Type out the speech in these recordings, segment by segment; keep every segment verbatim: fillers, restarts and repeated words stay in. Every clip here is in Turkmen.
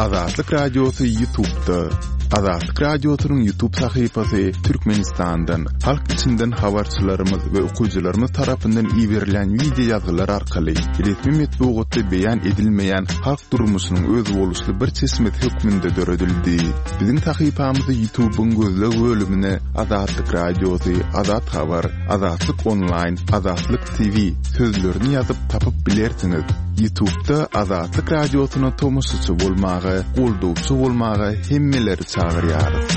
Azatlyk Radiosy YouTube'da. Azatlyk Radiosynyň YouTube sahypasy Türkmenistandan, halk içinden habarçylarymyz we okyjylarymyz tarapyndan iberilen wideo ýazgylar arkaly resmi metbugatda beýan edilmeýän halk durmuşynyň özboluşly bir çeşmesi hökmünde döredildi. Biziň sahypamyzy YouTube'yň gözleg bölümine Azatlyk Radiosy, Azat Habar, Azatlyk Online, Azatlyk T V sözlerini ýazyp tapyp bilersiňiz. YouTube'da Azatlyk Radiosyna tomaşaçy bolmaga, goldawçy bolmaga hemmeleri çagyrýarys.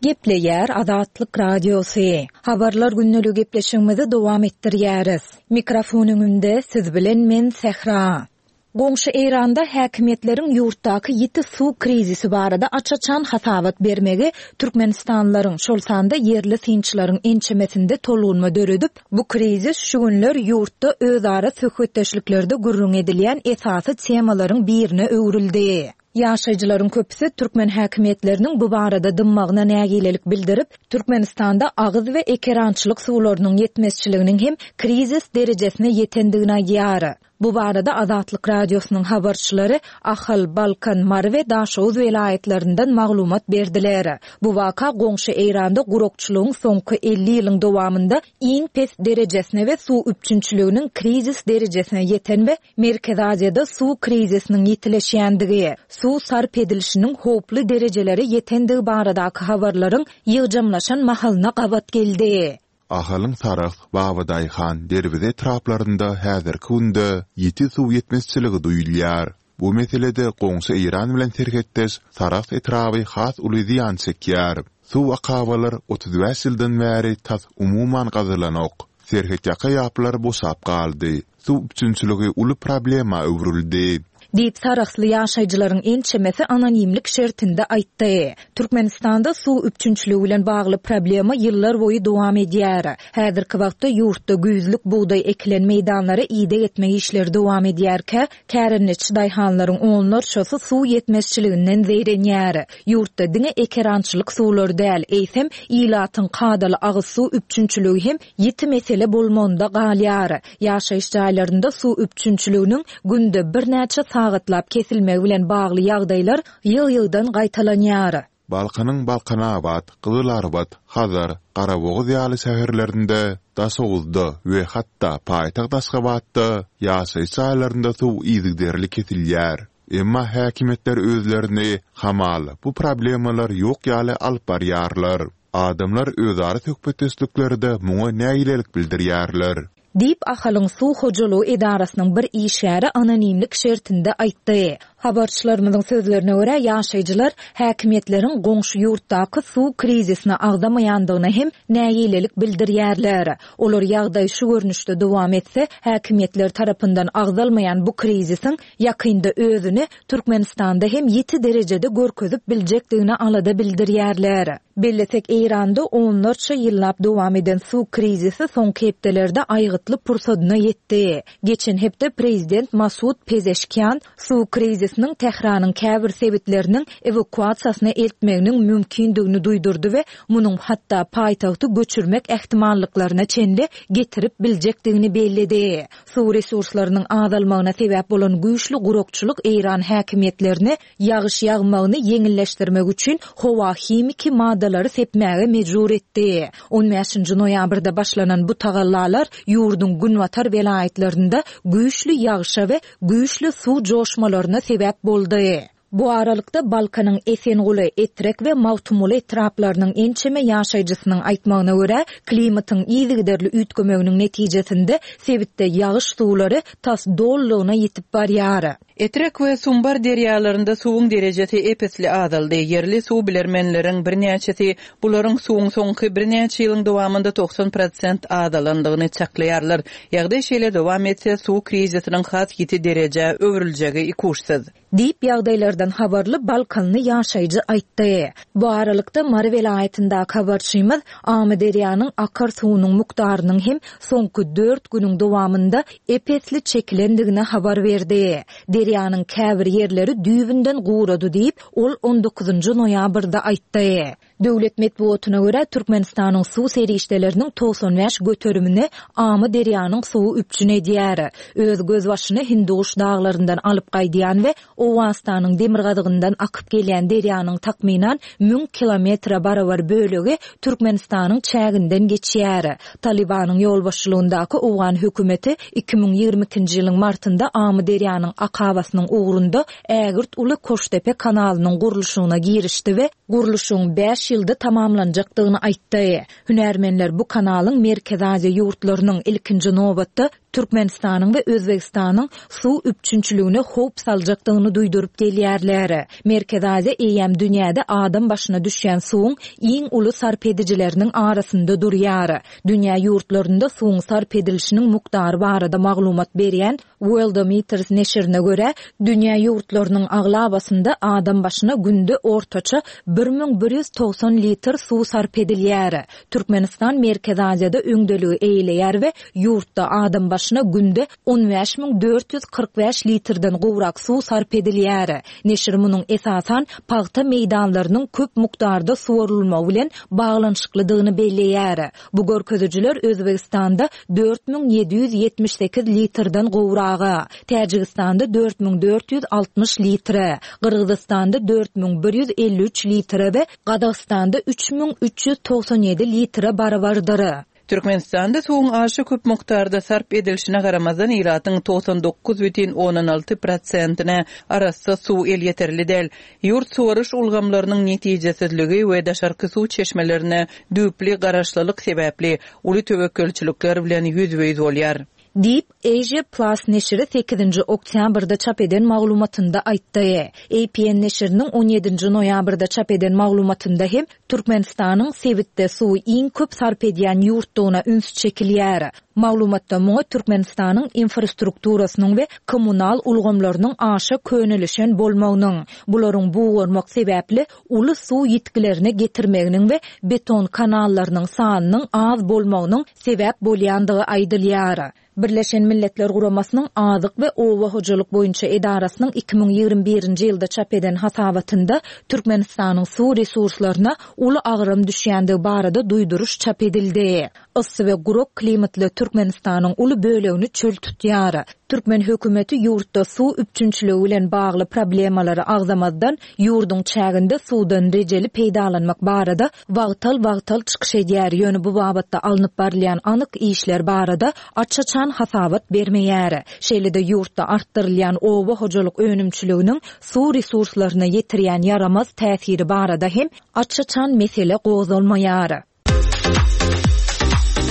Gepleýär Azatlyk Radiosy. Habarlar günlügi gepleşigimizi dowam etdirýäris. Mikrofon öňünde siz bilen men Sähra. Goňşy Eýranda häkimiýetleriň ýurtdaky ýiti suw krizisi barada aç-açan hasabat bermegi Türkmenistanlylaryň, şol sanda ýerli synçylaryň ençemesinde tolgunma döredip, bu krizis şu günler ýurtda özara söhbetdeşliklerde gürrüň edilýän esasy temalaryň birine öwrüldi. Ýaşaýjylaryň köpüsi türkmen häkimiýetleriniň bu barada dymmagyna nägilelik bildirip, Türkmenistanda agyz we ekerançylyk suwlarynyň ýetmezçiliginiň hem krizis derejesine ýetendigini aýdýar. Bu barada Azatlyk Radiosynyň habarçylary Ahal, Balkan, Mary we Daşoguz welaýatlaryndan maglumat berdiler. Bu waka goňşy Eýranda gurakçylygyň soňky elli ýylyň dowamynda iň pes derejesine we suw üpjünçiliginiň krizis derejesine ýeten we Merkezi Aziýada suw krizisiniň ýitileşýändigi, suw sarp edilişiniň howply derejelere ýetendigi baradaky habarlaryň ýygjamlaşan mahalyna gabat geldi. Ahalyň Sarahs, Babadaýhan, Derweze etraplarynda häzirki günde ýiti suw ýetmezçiligi duýulýar. Bu meselede goňşy Eýran bilen serhetdeş Sarahs etraby has uly zyýan çekýär. Suw akabalar otuz bäş ýyldan bäri tas umuman gazylanok. Serhet ýaka ýaplar boşap galdy. Suw üpjünçiligi uly problema öwrüldi. Diýip Sarahsly ýaşaýjylaryň ençemesi anonimlik şertinde aýtdy. Türkmenistanda suw üpjünçiligi bilen bagly problema ýyllar boýy dowam edýär. Häzirki wagtda ýurtda güýzlük bugdaý ekilen meýdanlara ideg etmek işleri dowam edýärkä, kärendeçi daýhanlaryň onlarçasy suw ýetmezçiliginden zeýrenýär. Ýurtda diňe ekerançylyk suwlary däl, eýsem ilatyň kadaly agyz suw üpjünçiligi hem ýiti mesele bolmagynda galýar. Ýaşaýyş jaýlarynda suw üpjünçiliginiň günde birnäçe sagatlap kesilmegi bilen bagly ýagdaýlar ýyl-ýyldan gaýtalanýar. Balkanyň Balkanabat, Gyzylarbat, Hazar, Garabogaz ýaly şäherlerinde, Daşoguzda we hatda paýtagt Aşgabatda ýaşaýyş jaýlarynda suw yzygiderli kesilýär. Emma häkimiýetler özlerini hamal bu problemalar ýok ýaly alyp barýarlar. Adamlar özara söhbetdeşliklerde muňa nägilelik bildirýärler. Diýip Ahalyň suw hojalygy edarasynyň bir işgäri anonimlik şertinde aýtdy. Habarçylarymyzyň sözlerine görä ýaşaýjylar häkimiýetleriň goňşy ýurtdaky suw krizisine agzamaýandygyna hem nägilelik bildirýärler. Olar ýagdaý şu görnüşde dowam etse, häkimiýetler tarapyndan agzalmaýan bu krizisiň ýakynda özüni Türkmenistanda hem ýiti derejede görkezip biljekdigine alada bildirýärler. Bellesek Eýranda onlarça ýyllap dowam eden suw krizisi soňky hepdelerde aýgytly pursadyna ýetdi. Geçen hepde prezident Masud Pezeşkian suw krizisiniň Tähranyň käbir sebitleriniň ewakuasiýasyna eltmeginiň mümkindigini duýdurdy we munuň hatda paýtagty göçürmek ähtimallyklaryna çenli getirip biljekdigini belledi. Suw resurslarynyň azalmagyna sebäp bolan güýçli gurakçylyk Eýran häkimiýetlerini ýagyş ýagmagyny ýeňilleşdirmek üçin howa himiki maddalary sepmäge mejbur etdi. on bäşinji noýabrda başlanan bu tagallalar ýurduň günbatar welaýatlarynda güýçli ýagyşa we güýçli suw joşmalaryna sebäp boldy. Bu aralykda Balkanyň Esenguly, Etrek we Magtymguly etraplarynyň ençeme ýaşaýjysynyň aýtmagyna görä, klimatyň yzygiderli üýtgemeginiň netijesinde sebitde ýagyş suwlary tas dollugyna ýetip barýar. Etrek we Sumbar derýalarynda suwuň derejesi epesli azaldy. Ýerli suw bilermenleriň birnäçesi bularyň suwuň soňky birnäçe ýylyň dowamynda togsan prosent azalandygyny çaklaýarlar. Ýagdaý şeýle dowam etse, suw krizisiniň has ýiti derejä öwrüljegi ikuşsyz. Diýip ýagdaýlardan habarly Balkanly ýaşaýjy aýtdy. Bu aralykda Mary welaýatyndaky habarçymyz Amyderýanyň akar suwunyň mukdarynyň hem soňky dört günüň dowamynda epesli çekilendigine habar berdi. Derýanyň käbir ýerleri düýbünden gurady diýip, ol on dokuzynjy noýabrda aýtdy. Döwlet metbugatyna görä, Türkmenistanyň suw serişdeleriniň togsan bäş göterimini Amyderýanyň suwy üpjün edýär. Öz gözbaşyny Hindiguş daglaryndan alyp gaýdýan we Owganystanyň demirgazygyndan akyp gelýän derýanyň takmynan müň kilometre barabar bölegi Türkmenistanyň çäginden geçýär. Talybanyň ýolbaşçylygyndaky owgan hökümeti iki müň ýigrimi ikinji ýylyň martynda Amyderýanyň akabasynyň ugrunda ägirt uly Koştepe kanalynyň gurluşygyna girişdi we gurluşygyň bäş ýylda tamamlanjakdygyny aýtdy. Hünärmenler bu kanalyň Merkezi Aziýa ýurtlarynyň ilkinji nobatda Türkmenistanyň we Özbegistanyň suw üpjünçiligine howp saljakdygyny duýduryp gelýärler. Merkezi Aziýa eýýäm dünýäde adam başyna düşýän suwuň iň uly sarp edijileriniň arasynda durýar. Dünýä ýurtlarynda suwuň sarp edilişiniň mukdary barada maglumat berýän Worldometers neşirine görä, dünýä ýurtlarynyň aglabasynda adam başyna günde ortaça bir müň bir ýüz togsan litr suw sarp edilýär. Türkmenistan Merkezi Aziýada öňdeligi eýeleýär we ýurtda adam başyna günde on bäş müň dört ýüz kyrk bäş litrden gowrak suw sarp edilýär. Neşir munuň esasan pagta meýdanlarynyň köp mukdarda suwarylmagy bilen baglanyşyklydygyny belleýär. Bu görkezijiler Özbegistanda dört müň ýedi ýüz ýetmiş sekiz litrden gowraga, Täjigistanda dört müň dört ýüz altmyş litre, Gyrgyzystanda dört müň bir ýüz elli üç litre we Gazagystanda üç müň üç ýüz togsan ýedi litre barabardyr. Türkmenistanda suwuň aşa köp mukdarda sarp edilişine garamazdan ilatyň togsan dokuz bütin ondan alty prosentine arassa suw elýeterli däl. Ýurt suwaryş ulgamlarynyň netijesizligi we daşarky suw çeşmelerine düýpli garaşlylyk sebäpli uly töwekgelçilikler bilen ýüzbe-ýüz bolýar. Diýip, Asia Plus neşiri sekizinji oktýabrda çap eden maglumatynda aýtdy. A P N neşiriniň on ýedinji noýabrda çap eden maglumatynda hem Türkmenistanyň sebitde suwy iň köp sarp edýän ýurtdugyna üns çekilýär. Maglumatda muňa Türkmenistanyň infrastrukturasynyň we kommunal ulgamlarynyň aşa könelişen bolmagynyň, bularyň bugarmak sebäpli uly suw ýitgilerine getirmeginiň we beton kanallarynyň sanynyň az bolmagynyň sebäp bolýandygy aýdylýar. Birleşen Milletler Guramasynyň Azyk we Oba hojalyk boýunça edarasynyň iki müň ýigrimi birinji ýylda çap eden hasabatynda Türkmenistanyň suw resurslaryna uly agram düşýändigi barada duýduryş çap edildi. Yssy we gurak klimatly Türkmenistanyň uly bölegini çöl tutýar. Türkmen hökümeti ýurtda suw üpjünçiligi bilen bagly problemalary agzamazdan ýurduň çäginde suwdan rejeli peýdalanmak barada wagtal-wagtal çykyş edýär. Ýöne bu babatda alnyp barylýan anyk işler barada aç-açan hasabat bermeýär. Şeýle-de ýurtda artdyrylýan oba hojalyk önümçiliginiň suw resurslaryna ýetirýän ýaramaz täsiri barada hem aç-açan mesele gozgalmaýar.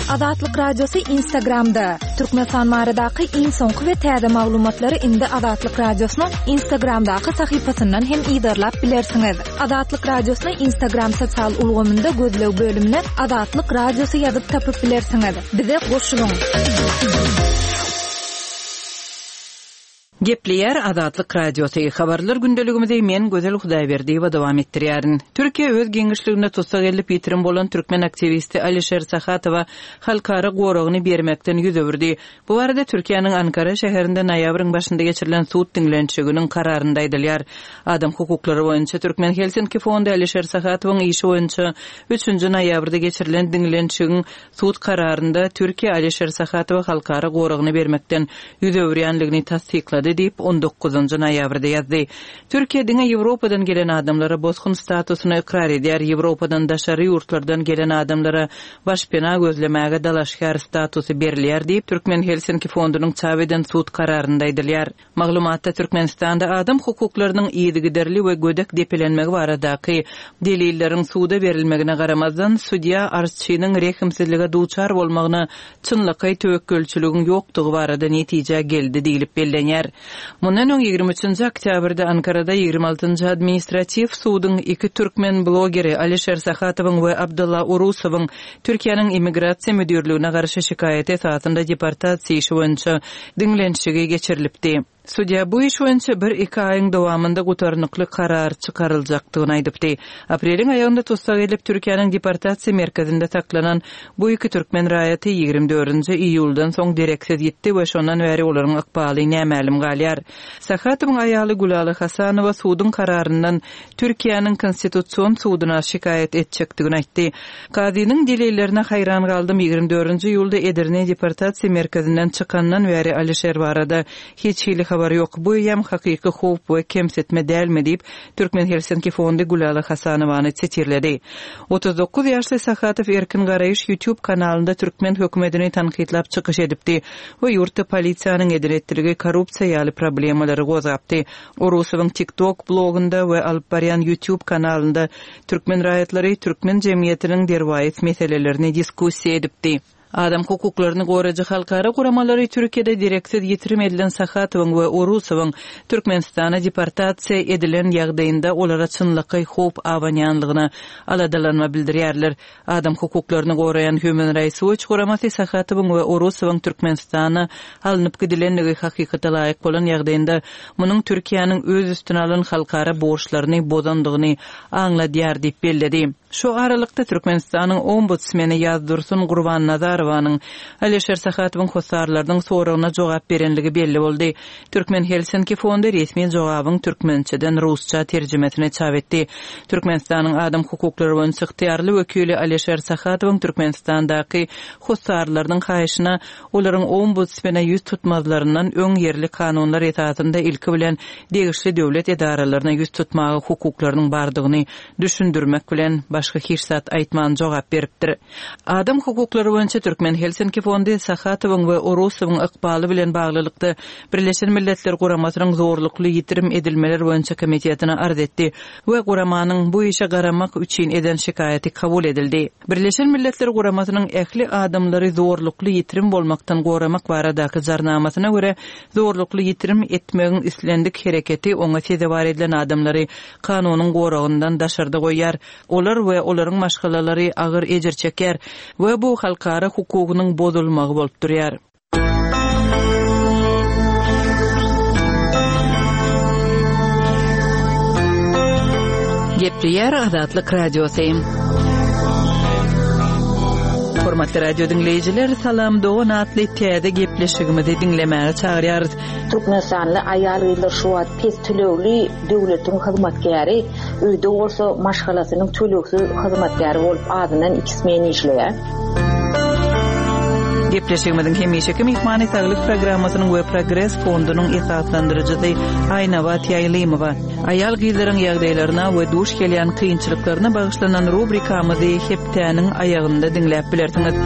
Azatlyk Radiosy Instagramda. Türkmenistan baradaky iň soňky we täze maglumatlary indi Azatlyk Radiosynyň Instagramdaky sahypasyndan hem yzarlap bilersiňiz. Azatlyk Radiosyny Instagram sosial ulgamynda gözleg bölümine Azatlyk Radiosy ýazyp tapyp bilersiňiz. Bize goşulyň. Gepleýär Azatlyk Radiosy. Habarlar gündeligimizi men Gözel Hudaýberdiýewa dowam etdirýärin. Türkiýe öz giňişliginde tussag edilip ýitirim bolan türkmen aktiwisti Alişer Sahatowa halkara goragyny bermekden ýüz öwürdi. Bu barada Türkiýäniň Ankara şäherinde noýabryň başynda geçirilen sud diňlenişiginiň kararynda aýdylýar. Adam hukuklary boýunça Türkmen Helsinki Fondy Alişer Sahatowyň işi boýunça üçünji noýabrda geçirilen diňlenişigiň sud kararynda Türkiýe Alişer Sahatowa halkara goragyny bermekden ýüz öwürýänligini tassyklady diýip on dokuzynjy noýabrda ýazdy. Türkiýe diňe Ýewropadan gelen adamlara bosgun statusyny ykrar edýär. Ýewropadan daşary ýurtlardan gelen adamlara başpena gözlemäge dalaşgär statusy berilýär diýip Türkmen Helsinki Fondunyň çap eden sud kararynda aýdylýar. Maglumatda Türkmenistanda adam hukuklarynyň yzygiderli we gödek depelenmegi baradaky delilleriň suda berilmegine garamazdan sudýa arzçynyň rehimsizlige duçar bolmagyna çynlakaý töwekgelçiligiň ýokdugy barada netije geldi diýilip bellenýär. Mundan öň ýigrimi üçünji oktýabrda Ankarada ýigrimi altynjy administratiw suduň iki türkmen blogeri Alişer Sahatowyň we Abdulla Urusowyň Türkiýäniň immigrasiýa müdirligine garşy şikaýaty esasynda deportasiýa işi boýunça diňlenişigi geçirilipdi. Sudýa bu iş boýunça bir-iki aýyň dowamynda gutarnykly karar çykaryljakdygyny aýdypdy. Apreliň aýagynda tussag edilip, Türkiýäniň deportasiýa merkezinde saklanan bu iki türkmen raýaty ýigrimi dördünji iýuldan soň dereksiz ýitdi we şondan bäri olaryň ykbaly nämälim galýar. Sahatowyň aýaly Gülala Hasanowa suduň kararyndan Türkiýäniň Konstitusion suduna şikaýat etjekdigini aýtdy. Kazynyň delillerine haýran galdym, ýigrimi dördünji iýulda Edirne deportasiýa merkezinden çykandan bäri Alişer barada hiç hili habar ýok. Bu eýýäm hakyky howp we kemsitme dälmi diýip, Türkmen Helsinki fondy Gülala Hasanowany sitirledi. Otuz dokuz ýaşly Sahatow Erkin Garaýyş YouTube kanalynda türkmen hökümetini tankytlap çykyş edipdi we ýurtda polisiýanyň eden-etdiligi, korrupsiýa ýaly problemalary gozgapdy. Orusowyň TikTok blogunda we alyp barýan YouTube kanalynda türkmen raýatlary türkmen jemgyýetiniň derwaýys meselelerini diskussiýa edipdi. Adam hukuklaryny goraýjy halkara guramalary Türkiýede dereksiz ýitirim edilen Sahatowyň we Orusowyň Türkmenistana deportasiýa edilen ýagdaýynda olara çynlakaý howp abanýanlygyna aladalanma bildirýärler. Adam hukuklaryny goraýan Human Rights Watch guramasy Sahatowyň we Orusowyň Türkmenistana alnyp gidilenligi hakykata laýyk bolan ýagdaýynda munuň Türkiýäniň öz üstüne alan halkara borçlaryny bozandygyny aňladýar diýip belledi. Şu aralykda Türkmenistanyň ombudsmeni Ýazdursun Gurbannazarowanyň Alişer Sahatowyň hossarlarynyň soragyna jogap berenligi belli boldy. Türkmen Helsinki fondy resmi jogabyň türkmençeden rusça terjimesini çap etdi. Türkmenistanyň adam hukuklary boýunça ygtyýarly wekili Alişer Sahatowyň Türkmenistandaky hossarlarynyň haýyşyna olaryň ombudsmene ýüz tutmazlaryndan öň ýerli kanunlar esasynda ilki bilen degişli döwlet edaralaryna ýüz tutmaga hukuklarynyň bardygyny düşündirmek bilen başga hiç zat aýtman jogap beripdir. Adam hukuklary boýunça Türkmen Helsinki fondy Sahatowyň we Orusowyň ykbaly bilen baglylykda Birleşen Milletler Guramasynyň zorlukly ýitirim edilmeler boýunça komitetine arz etdi we guramanyň bu işe garamak üçin eden şikaýaty kabul edildi. Birleşen Milletler Guramasynyň ähli adamlary zorlukly ýitirim bolmakdan goramak baradaky jarnamasyna görä zorlukly ýitirim etmegiň islendik hereketi oňa sezewar edilen adamlary kanunyň goragyndan daşarda goýýar. Olar we olaryň maşgalalary agyr ejir çeker we bu halkara hukugynyň bozulmagy bolup durýar. Gepleýär Azatlyk Radiosy. Hormatly radio diňleýjiler, Salam Dogan atly täze gepleşigimizi diňlemäge çagyrýarys. Türkmenistanly aýal-gyzlar şu wagt pes tölegli döwletiň hyzmatkäri, öýde bolsa maşgalasynyň tölegsiz hyzmatkäri bolup azyndan iki smen işleýär. Gepleşigimiziň hemişeki myhmany Saglyk programmasynyň we Progres fondunyň esaslandyryjysy Aýnabat Ýaýlymowa. Aýal-gyzlaryň ýagdaýlaryna we duş gelýän kynçylyklaryna bagyşlanan rubrikamyzy hepdäniň aýagynda diňläp bilersiňiz.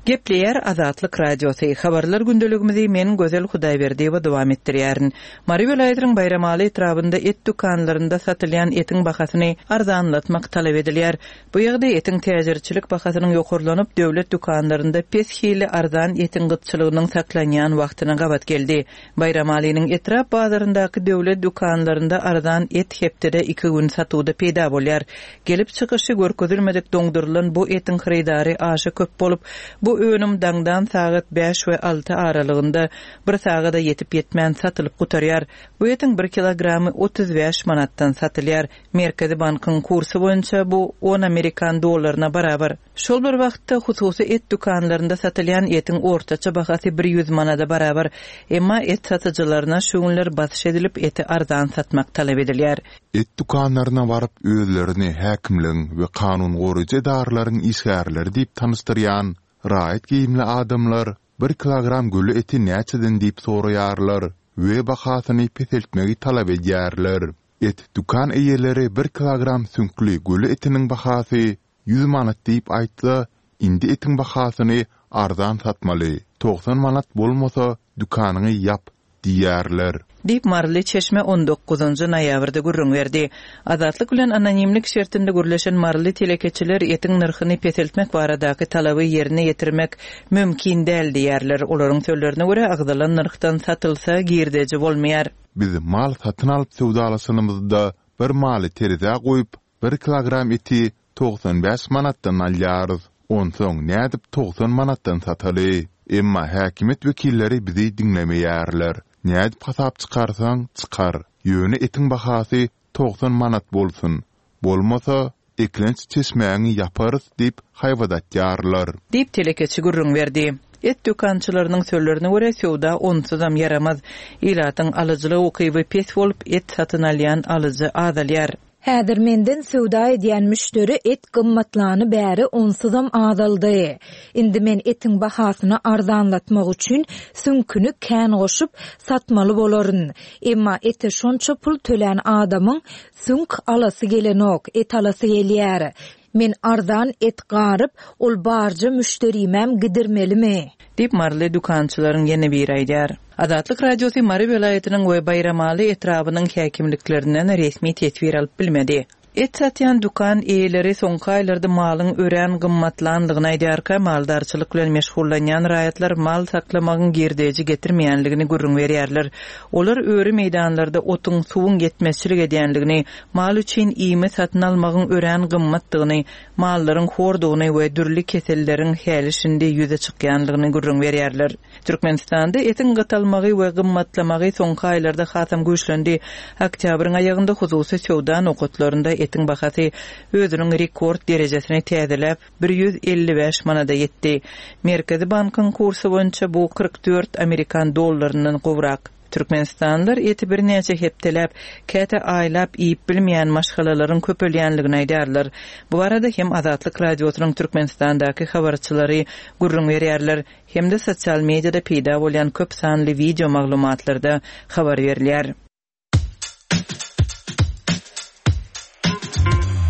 Gepleýär Azatlyk Radiosy. Habarlar gündeligimizi men Gözel Hudaýberdiýewa dowam etdirýärin. Mary welaýatynyň Baýramaly etrabynda et dükanlarynda satylýan etiň bahasyny arzanlatmak talap edilýär. Bu ýagdaý etiň täjirçilik bahasynyň ýokarlanyp, döwlet dükanlarynda pes hili arzan etiň gytçylygynyň saklanýan wagtyna gabat geldi. Baýramalynyň etrap bazaryndaky döwlet dükanlarynda arzan et hepdede iki gün satuwda peýda bolýar. Gelip çykyşy görkezilmedik doňdurylan bu etiň hyrydary aşa köp bolup, bu önüm daňdan sagat bäş we alty aralygynda bir sagada ýetip ýetmän satylyp gutarýar. Bu etiň bir kilogramy otuz bäş manatdan satylýar. Merkezi bankyň kursy boýunça bu on amerikan dollaryna barabar. Şol bir wagtda hususy et dükanlarynda satylýan etiň ortaça bahasy bir ýüz manada barabar. Emma et satyjylaryna şu günler basyş edilip eti arzan satmak talap edilýär. Et dükanlaryna baryp özlerini häkimligiň we kanun goraýjy edaralaryň işgärleri diýip tanyşdyrýan raýat geýimli adamlar bir kilogram göle eti näçeden diýip soraýarlar we bahasyny peseltmegi talap edýärler. Et dükan eýeleri bir kilogram süňkli göle etiniň bahasy ýüz manat diýip aýtsa, indi etiň bahasyny arzan satmaly. Togsan manat bolmasa dükanyňy ýap diýerler. Diýip Maryly çeşme on dokuzynjy noýabrda gürrüň berdi. Azatlyk bilen anonimlik şertinde gürleşen Maryly telekeçiler etiň nyrhyny peseltmek baradaky talaby ýerine ýetirmek mümkin däl diýerler. Olaryň sözlerine görä agzalan nyrhdan satylsa girdeji bolmaýar. Biz mal satyn alyp söwdalaşanymyzda bir maly terezä goýup bir kilogram eti togsan bäş manatdan alýarys. Onsoň nädip togsan manatdan sataly? Emma häkimiýet wekilleri bizi diňlemeýärler. Nädip hasap çykarsaň, çykar. Ýöne etiň bahasy togsan manat bolsun. Bolmasa, eklenç çeşmäňi ýaparys diýip haýbat atýarlar. Diýip, telekeçi gürrüň berdi. Et dükançylarynyň sözlerine görä, söwda onsuzam ýaramaz. Ilatyň alyjylyk ukyby pes bolup, et satyn alýan alyjy azalýar. Häzir menden söwda edýän müşderi et gymmatlany bäri onsuzam azaldy. Indi men etiň bahasyny arzanlatmak üçin süňküni kän goşup, satmaly bolaryn. Emma ete şonça pul tölän adamyň süňk alasy gelenok, et alasy gelýär. Men arzan et garyp, ol barja müşderimem gidirmelimi? Diýip, maryly dükançylaryň ýene biri aýdýar. Azatlyk Radiosy Mary welaýatynyň we Baýramaly etrabynyň häkimliklerinden resmi teswir alyp bilmedi. Et satýan dükan eýeleri soňky aýlarda malyň örän gymmatlandygyny aýdýarka, maldarçylyk bilen meşgullanýan raýatlar mal saklamagyň girdeji getirmeýänligini gürrüň berýärler. Olar öri meýdanlarda otuň, suwuň ýetmezçilik edýänligini, mal üçin iými satyn almagyň örän gymmatdygyny, mallaryň hordugyny we dürli keselleriň häli-şindi ýüze çykýanlygyny gürrüň berýärler. Türkmenistanda etiň gytalmagy we gymmatlamagy soňky aýlarda hasam güýçlendi. Oktýabryň aýagynda hususy söwda nokatlarynda etiň bahasy özüniň rekord derejesini täzeläp, bir ýüz elli bäş manada ýetdi. Merkezi bankyň kursy boýunça bu kyrk dört amerikan dollaryndan gowrak. Türkmenistanlylar eti birnäçe hepdeläp, käte aýlap iýip bilmeýän maşgalalaryň köpelýänligini aýdýarlar. Bu barada hem Azatlyk Radiosynyň Türkmenistandaky habarçylary gürrüň berýärler, hem-de sosial mediada peýda bolýan köp sanly wideo maglumatlarda habar berilýär.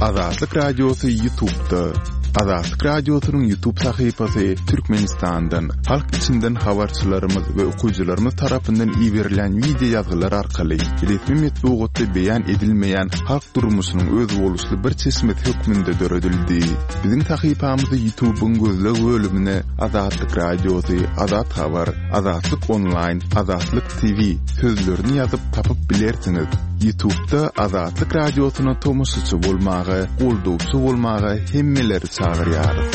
Azatlyk Radiosy YouTube'da. Azatlyk Radiosynyň YouTube sahypasy Türkmenistandan, halk içinden habarçylarymyz we okyjylarymyz tarapyndan iberilýän wideo ýazgylar arkaly resmi metbugatda beýan edilmeýän halk durmuşynyň özboluşly bir çeşmesi hökmünde döredildi. Biziň sahypamyzy YouTube'yň gözleg bölümine Azatlyk Radiosy, Azat Habar, Azatlyk Onlaýn, Azatlyk T V sözlerini ýazyp tapyp bilersiňiz. YouTube'da Azatlyk Radiosyna tomaşaçy bolmaga, goldawçy bolmaga hemmeleri çagyrýarys.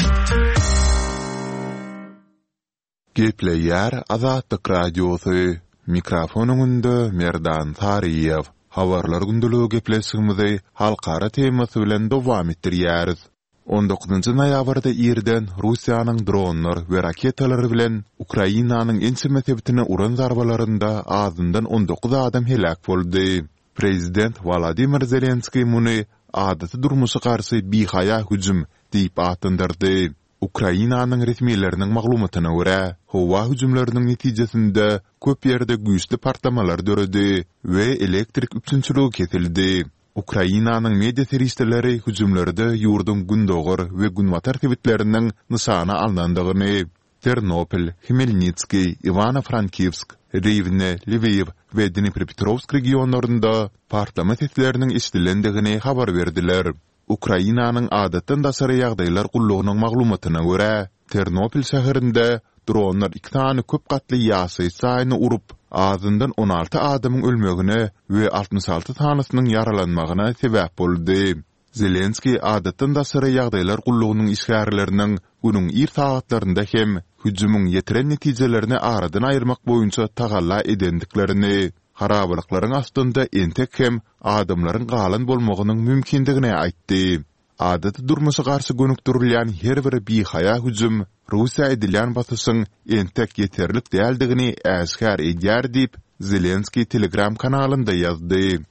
Gepleýär Azatlyk Radiosy. Mikrofon öňünde Merdan Saryýew. Habarlar gündeligi gepleşigimizi halkara temasy bilen dowam etdirýäris. On dokuzynjy noýabrda irden Russiýanyň dronlar we raketalar bilen Ukrainanyň ençeme sebitine uran zarbalarynda azyndan on dokuz adam heläk boldy. Prezident Wolodymyr Zelenskiý muny adaty durmuşa garşy bihaýa hüjüm diýip atlandyrdy. Ukrainanyň resmileriniň maglumatyna görä, howa hüjümleriniň netijesinde köp ýerde güýçli partlamalar döredi we elektrik üpjünçiligi kesildi. Ukrainanyň media serişdeleri hüjümlerde ýurduň gündogar we günbatar sebitleriniň nyşana alnandygyny, Ternopil, Hmelnitskiý, Iwano-Frankivsk, Riwne, Lwiw we Dniprepetrowsk regionlarynda partlama sesleriniň eşidilendigini habar berdiler. Ukrainanyň adatdan daşary ýagdaýlar gullugynyň maglumatyna görä, Ternopil şäherinde dronlar iki sany köp gatly ýaşaýyş jaýyny urup, azyndan on alty adamyň ölmegine we altmyş alty sanysynyň ýaralanmagyna sebäp boldy. Zelenskiý adatdan daşary ýagdaýlar gullugynyň işgärleriniň günüň ir sagatlarynda hem hüjümiň ýetiren netijelerini aradan aýyrmak boýunça tagalla edendiklerini, harabalyklaryň astynda entek hem adamlaryň galan bolmagynyň mümkindigini aýtdy. Adaty durmuşa garşy gönükdirilýän her bir bihaýa hüjüm Russiýa edilýän basyşyň entek ýeterlik däldigini äşgär edýär diýip, Zelenskiý Telegram kanalynda ýazdy.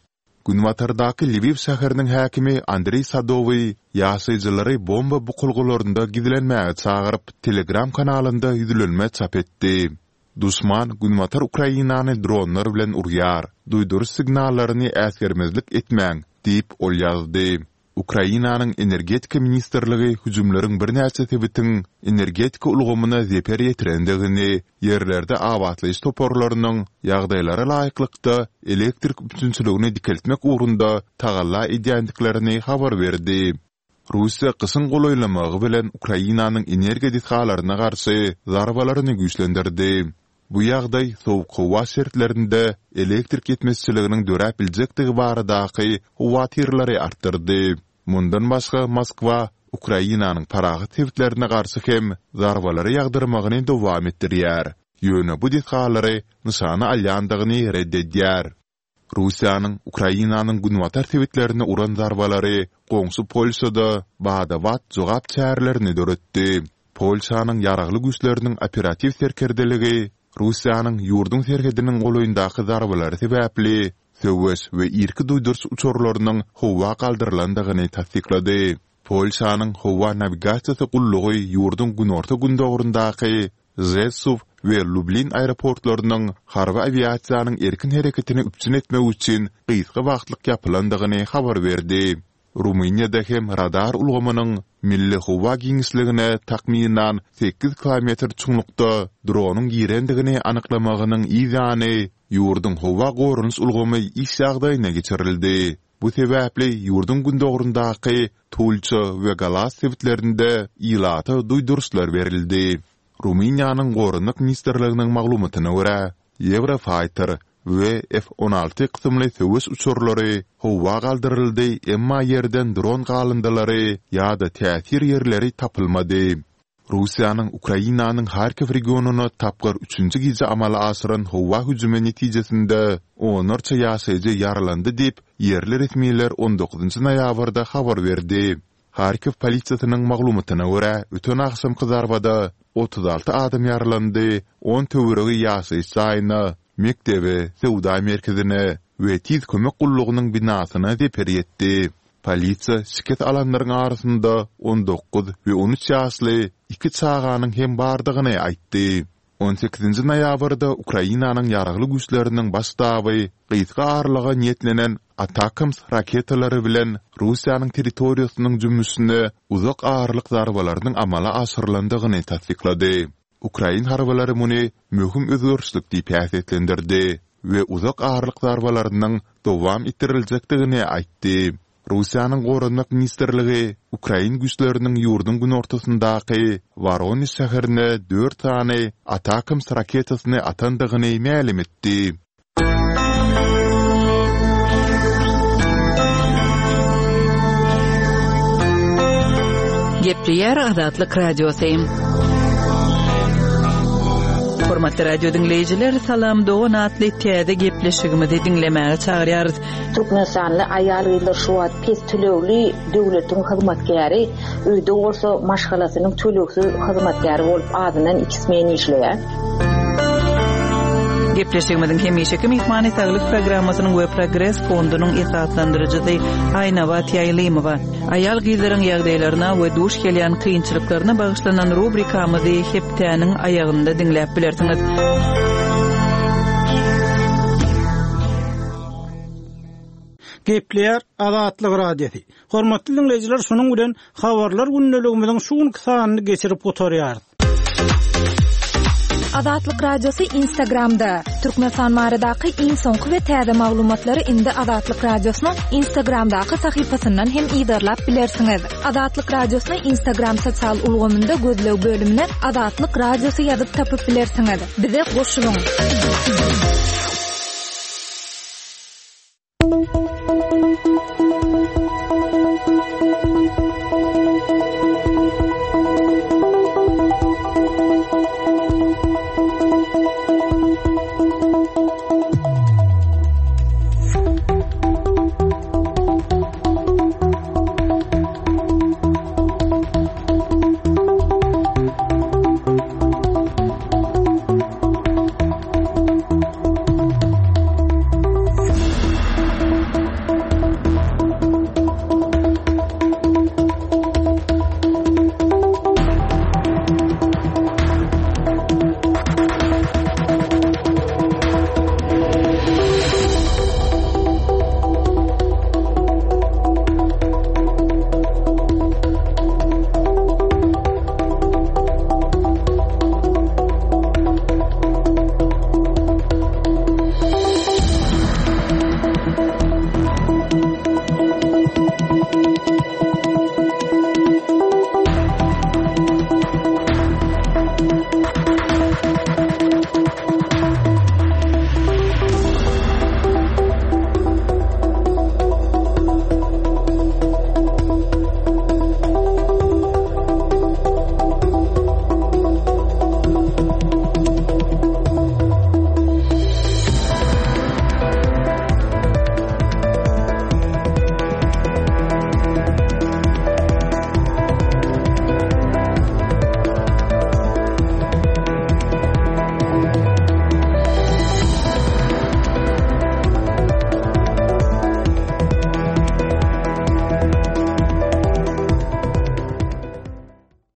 Günbatardaky Lwiw şäheriniň häkimi Andreý Sadowyý ýaşaýjylary bomba bukulgalarynda gizlenmäge çagyryp, Telegram kanalynda ýüzlenme çap etdi. Duşman Günbatar Ukrainany dronlar bilen urýar. Duýduryş signallaryny äsgermezlik etmäň, diýip, ol ýazdy. Ukrainanyň Energetika ministrligi hüjümleriň birnäçe sebitiň energetika ulgamyna zeper ýetirendigini, ýerlerde abatlaýyş toparlarynyň ýagdaýlara laýyklykda elektrik üpjünçiligini dikeltmek ugrunda tagalla edýändiklerini habar berdi. Russiýa gyşyň golaýlamagy bilen Ukrainanyň energiýa desgalaryna garşy zarbalaryny güýçlendirdi. Bu ýagdaý sowuk howa şertlerinde elektrik ýetmezçiliginiň döräp biljekdigi baradaky howatyrlary artdyrdy. Mundan başga Moskwa Ukrainanyň parahat sebitlerine garşy hem zarbalary ýagdyrmagyny dowam etdirýär, ýöne bu desgalary nyşana alýandygyny ret edýär. Russiýanyň Ukrainanyň günbatar sebitlerine uran zarbalary goňşy Polşada bada-bat jogap çärelerini döretdi. Polşanyň Ýaragly Güýçleriniň operatiw serkerdeligi Russiýanyň ýurduň serhediniň golaýyndaky zarbalary sebäpli söweş we irki duýduryş uçarlarynyň howa galdyrylandygyny tassyklady. Polşanyň howa nawigasiýasy gullugy ýurduň günorta-gündogaryndaky Žesuw we Lublin aeroportlarynyň harby awiasiýanyň erkin hereketini üpjün etmek üçin gysga wagtlyk ýapylandygyny habar berdi. Rumyniýada hem radar ulgamynyň milli howa giňişligine takmynan sekiz kilometr çuňlukda dronyň girendigini anyklamagynyň yz ýany, ýurduň howa goranyş ulgamy iş ýagdaýyna geçirildi. Bu sebäpli ýurduň gündogaryndaky Tulça we Galas sebitlerinde ilata duýduryşlar berildi. Rumyniýanyň Goranmak ministrliginiň maglumatyna görä, Eurofighter we F on alty kysymly söweş uçarlary howa galdyryldy, emma ýerden dron galyndylary ýa-da täsir ýerleri tapylmady. Russiýanyň Ukrainanyň Harkiw regionyna tapgyr üçünji gije amala aşyran howa hüjümi netijesinde onlarça ýaşaýjy ýaralandy diýip, ýerli resmiler on dokuzynjy noýabrda habar berdi. Harkiw polisiýasynyň maglumatyna görä, öten agşamky zarbada otuz alty adam ýaralandy, on töweregi ýaşaýyş jaýyna, mekdebe, söwda merkezine we tiz kömek gullugynyň binasyna zeper ýetdi. Polisiýa şikes alanlaryň arasynda on dokuz we on üç ýaşly iki çaganyň hem bardygyny aýtdy. On sekizinji noýabrda Ukrainanyň Ýaragly Güýçleriniň Baş ştaby gysga aralyga niýetlenen Atacms raketalary bilen Russiýanyň territoriýasynyň jümmüşine uzak aralyk zarbalarynyň amala aşyrylandygyny tassyklady. Ukrain harbylary muny möhüm özgerişlik diýip häsiýetlendirdi we uzak aralyk zarbalarynyň dowam etdiriljekdigini aýtdy. Russiýanyň Goranmak ministrligi ukrain güýçleriniň ýurduň günortasyndaky Woronež şäherine dört sany Atacms raketasyny atandygyny mälim etdi. Gepleýär Azatlyk Radiosy. Hormatly radio diňleýjiler, Salam dogan atly täze gepleşigimizi diňlemäge çagyrýarys. Türkmenistanly aýal-gyzlar şu wagt pes tölegli döwletiň hyzmatkäri, öýde bolsa maşgalasynyň tölegsiz hyzmatkäri bolup azyndan iki smen işleýär. Gepleşigimiziň hemişeki myhmany Saglyk programmasynyň we Progres fondunyň esaslandyryjysy Aýnabat Ýaýlymowa. Aýal-gyzlaryň ýagdaýlaryna we duş gelýän kynçylyklaryna bagyşlanan rubrikamyzy hepdäniň aýagynda diňläp bilersiňiz. Gepleýär Azatlyk Radiosy. Hormatly dinleýjiler, şunuň bilen habarlar gündeligimiziň şu günki sanyny geçirip gutarýarys. Azatlyk Radiosy Instagramda. Türkmenistan baradaky iň soňky we täze maglumatlary indi Azatlyk Radiosynyň Instagramdaky sahypasyndan hem yzarlap bilersiňiz. Azatlyk Radiosyny Instagram sosial ulgamynda gözleg bölümine Azatlyk Radiosy ýazyp tapyp bilersiňiz. Bize goşulyň.